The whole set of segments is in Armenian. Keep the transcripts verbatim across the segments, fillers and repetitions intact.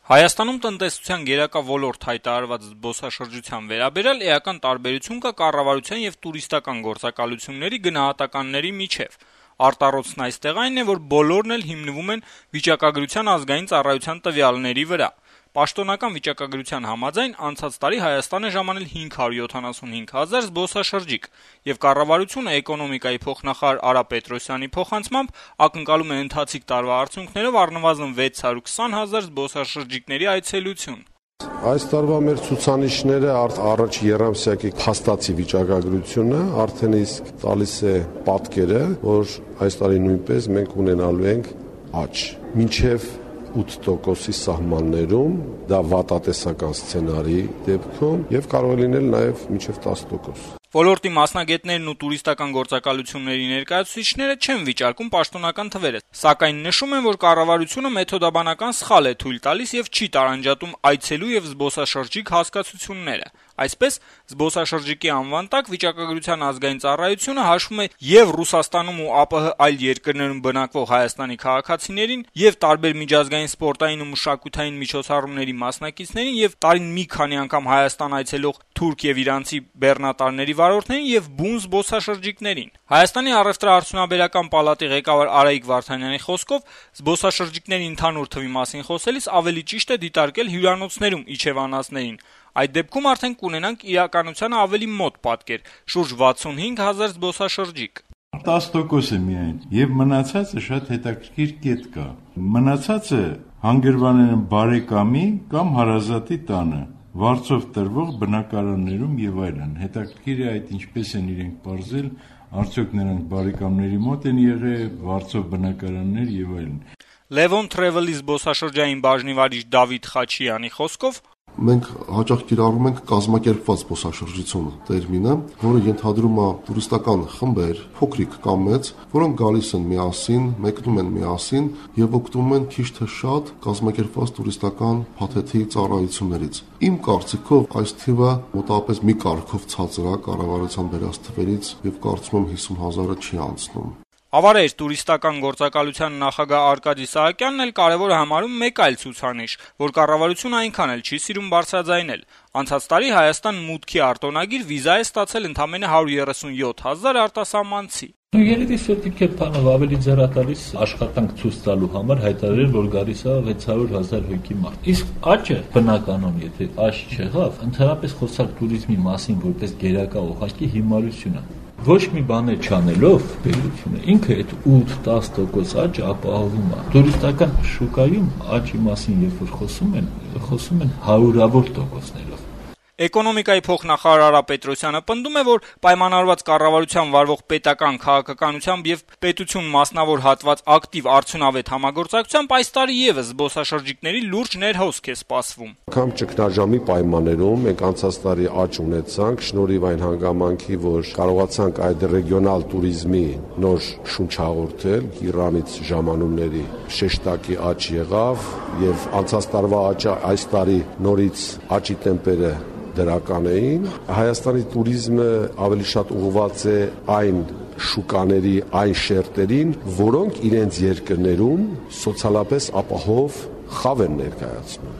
Հայաստանում տնտեսության գերակա ոլորտ հայտարարված զբոսաշրջության վերաբերյալ էական տարբերություն կա կառավարության եւ տուրիստական գործակալությունների գնահատականների միջեւ։ Արտառոցն այստեղ այն է, որ բոլորն էլ հիմնվում են վիճակագրության ազգային ծառայության տվյալների վրա։ Պաշտոնական վիճակագրության համաձայն անցած տարի Հայաստան է ժամանել հինգ հարյուր յոթանասունհինգ հազար զբոսաշրջիկ, եւ կառավարությունը էկոնոմիկայի փոխնախարար Արա Պետրոսյանի փոխանցմամբ ակնկալում է ընթացիկ տարվա արդյունքներով առնվազն վեց հարյուր քսան հազար զբոսաշրջիկների այցելություն։ Այս տարվա մեր ցուցանիշները առաջ երամսյակի փաստացի վիճակագրությունը արդեն իսկ տալիս է պատկերը, որ այս տարի նույնպես մենք ունենալու ենք աճ։ Մինչև ութ տոկոսի սահմաններում դա վատատեսական սցենարի դեպքում եւ կարող է լինել նաեւ մինչեւ տասը տոկոս։ Ոլորտի մասնագետներն ու տուրիստական գործակալությունների ներկայացուցիչները չեն վիճարկում պաշտոնական թվերը, սակայն նշում են, որ կառավարությունը մեթոդաբանական սխալ է թույլ տալիս եւ չի տարանջատում այցելու եւ զբոսաշրջիկ հասկացությունները։ Այսպես, զբոսաշրջիկի անվան տակ վիճակագրության ազգային ծառայությունը հաշվում է եւ Ռուսաստանում ու ԱՊՀ այլ երկրներում բնակվող Հայաստանի քաղաքացիներին, եւ տարբեր միջազգային սպորտային ու մշակութային միջոցառումների մասնակիցներին, եւ տարին մի քանի անգամ Հայաստան այցելող թուրք եւ իրանցի բեռնատարների վարորդներին եւ բուն զբոսաշրջիկներին։ Հայաստանի առևտրաարդյունաբերական պալատի ղեկավար Արայիկ Վարդանյանի խոսքով զբոսաշրջիկների ընդհանուր թվի մասին խոսելիս ավելի ճիշտ է դիտարկել հյուրանոցներում իջևանածներին։ Այդ դեպքում արդեն կունենանք իրականությանը ավելի մոտ պատկեր՝ շուրջ վաթսունհինգ հազար զբոսաշրջիկ։ տասը տոկոս է միայն, եւ մնացածը շատ հետաքրքիր կետ կա։ Մնացածը հանգրվանել են բարեկամի կամ հարազատի տանը, վարձով տրվող բնակարաններում եւ այլն։ Հետաքրքիր է այդ ինչպես են իրենք բարձել, արդյոք նրանք բարեկամների մոտ են եղել, վարձով բնակարաններ եւ այլն։ Levon Travel-ի զբոսաշրջային բաժնի վարիչ Դավիթ Խաչյանի խոսքով մենք հաճախ կիրառում ենք կազմակերպված զբոսաշրջություն տերմինը, որը ենթադրում է տուրիստական խմբեր, փոքրիկ կամ մեծ, որոնք գալիս են միասին, մեկնում են միասին եւ օգտվում են քիչ թե շատ կազմակերպված տուրիստական փաթեթի ծառայություններից։ Իմ կարծիքով այս թիվը մոտավորապես մի կարգով ցածր է կառավարության վերած թվերից եւ կարծում եմ հիսուն հազարը չի անցնում։ Ավարեր տուրիստական գործակալության նախագահ Արկադի Սահակյանն էլ կարևոր է համարում մեկ այլ ցուցանիշ, որ կառավարությունը այնքան էլ չի սիրում բարձրաձայնել։ Անցած տարի Հայաստան մուտքի արտոնագիր վիզա է ստացել ընդամենը հարյուր երեսունյոթ հազար արտասահմանցի։ Երիտասարդիկ է բանով ավելի ձեռատալիս աշխատանք ցույց տալու համար հայտարարել, որ գալիս է վեց հարյուր հազար հոգի մարդ։ Իսկ աճը բնականon, եթե աճ չեղավ, ընդհանրապես խոսալ տուրիզմի մասին որպես գերակա ուղղակի հիմարություն է։ Ոչ մի բան չանելով բերությունը ինքը այդ ութ տասը տոկոս աճը ապահովում է։ Տուրիստական շուկայում աճի մասին երբ որ խոսում են, խոսում են հարյուրավոր տոկոսներով։ Էկոնոմիկայի փոխնախարար Արա Պետրոսյանը պնդում է, որ պայմանավորված կառավարության վարվող պետական քաղաքականությամբ եւ պետություն մասնավոր հատված ակտիվ արդյունավետ համագործակցությամբ այս տարի եւս զբոսաշրջիկների լուրջ ներհոսք է սպասվում։ Կամ ճգնաժամի պայմաններում մենք անցած տարի աճ ունեցանք շնորհիվ այն հանգամանքի, որ կարողացանք այդ ռեգիոնալ туриզմի նոր շունչ հաղորդել Իրանից ժամանումների շեշտակի աճ եղավ եւ անցած տարվա աճը այս տարի նորից աճի տեմպերը դրական էին։ Հայաստանի туриզմը ավելի շատ ուղղված է այն շուկաների, այն շերտերին, որոնք իրենց երկրներում սոցիալապես ապահով խավ են ներկայացնում։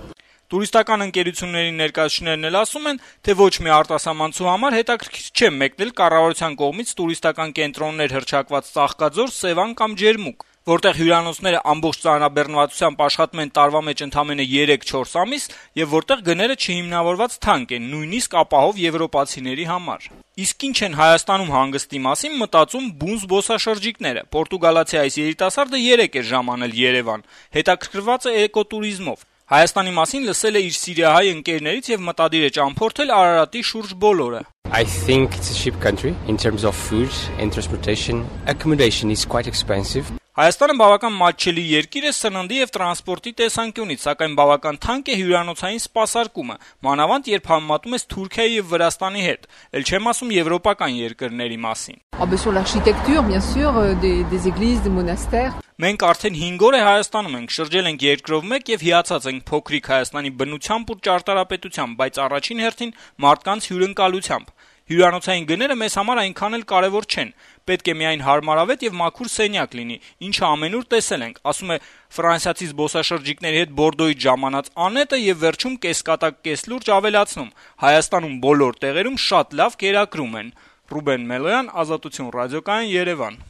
Տուրիստական ընկերությունների ներկայացուցիչներն էլ ասում են, թե ոչ մի արտասահմանցու համար հետաքրքիր չէ մեկնել կառավարության կողմից տուրիստական կենտրոններ հռչակված Ծաղկաձոր, Սևան կամ Ջերմուկ, որտեղ հյուրանոցները ամբողջ ծանրաբեռնվածությամբ աշխատում են տարվա մեջ ընդամենը երեք-չորս ամիս եւ որտեղ գները չհիմնավորված թանկ են, նույնիսկ ապահով եվրոպացիների համար։ Իսկ ինչ են Հայաստանում հանգստի մասին մտածում բուն զբոսաշրջիկները։ Պորտուգալացի այս երիտասարդը երեք էր ժամանել Երևան, հետաքրքրված է էկոտուրիզմով։ Հայաստանի մասին լսել է իր սիրիահայ ընկերներից եւ մտադիր է ճամփորդել Արարատի շուրջ բոլորը։ I think it's a cheap country in terms of food and transportation. Accommodation is quite expensive. Հայաստանը բավական մատչելի երկիր է սննդի եւ տրանսպորտի տեսանկյունից, սակայն բավական թանկ է հյուրանոցային սպասարկումը, մանավանդ երբ համեմատում ես Թուրքիայի եւ Վրաստանի հետ, ել չեմ ասում եվրոպական երկրների մասին։ Sur l'architecture, bien sûr, des des églises, des monastères. Մենք արդեն հինգ օր է Հայաստանում ենք, շրջել ենք երկրով մեկ եւ հիացած ենք փոքրիկ Հայաստանի բնությամբ ու ճարտարապետությամբ, բայց առաջին հերթին մարդկանց հյուրընկալությամբ։ Հյուրանոցային գները մեզ համար այնքան էլ կարեւոր չեն. պետք է միայն հարմարավետ եւ մաքուր սենյակ լինի, ինչը ամենուր տեսել ենք», ասում է ֆրանսիացի զբոսաշրջիկների հետ Բորդոյից ժամանած Անետը եւ վերջում կեսկատակ կեսլուրջ ավելացնում. «Հայաստանում բոլոր տեղերում շատ լավ կերակրում են»։ Ռուբեն Մելոյան, Ազատություն ռադիոկայան, Երևան։